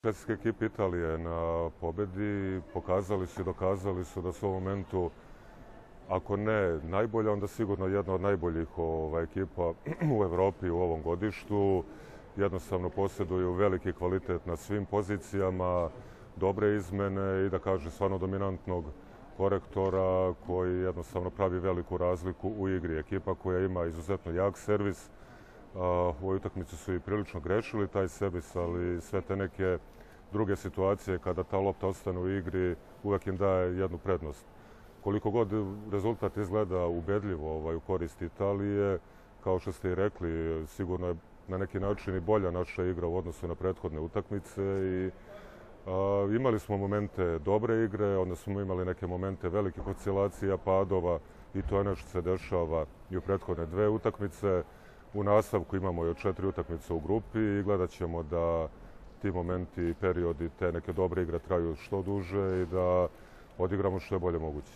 Švedska ekipa Italije na pobedi pokazali su i dokazali su da su u ovom momentu, ako ne najbolja, onda sigurno jedna od najboljih ekipa u Evropi u ovom godištu. Jednostavno posjeduju veliki kvalitet na svim pozicijama, dobre izmene i da kažem stvarno dominantnog korektora koji jednostavno pravi veliku razliku u igri. Ekipa koja ima izuzetno jak servis. U ovoj utakmici su i prilično grešili taj servis, ali sve te neke druge situacije kada ta lopta ostane u igri uvek im daje jednu prednost. Koliko god rezultat izgleda ubedljivo u korist Italije, kao što ste i rekli, sigurno je na neki način i bolja naša igra u odnosu na prethodne utakmice i imali smo momente dobre igre, onda smo imali neke momente velikih oscilacija, padova i to je nešto se dešava i u prethodne dve utakmice. U nastavku imamo još 4 utakmice u grupi i gledat ćemo da ti momenti i periodi te neke dobre igre traju što duže i da odigramo što je bolje moguće.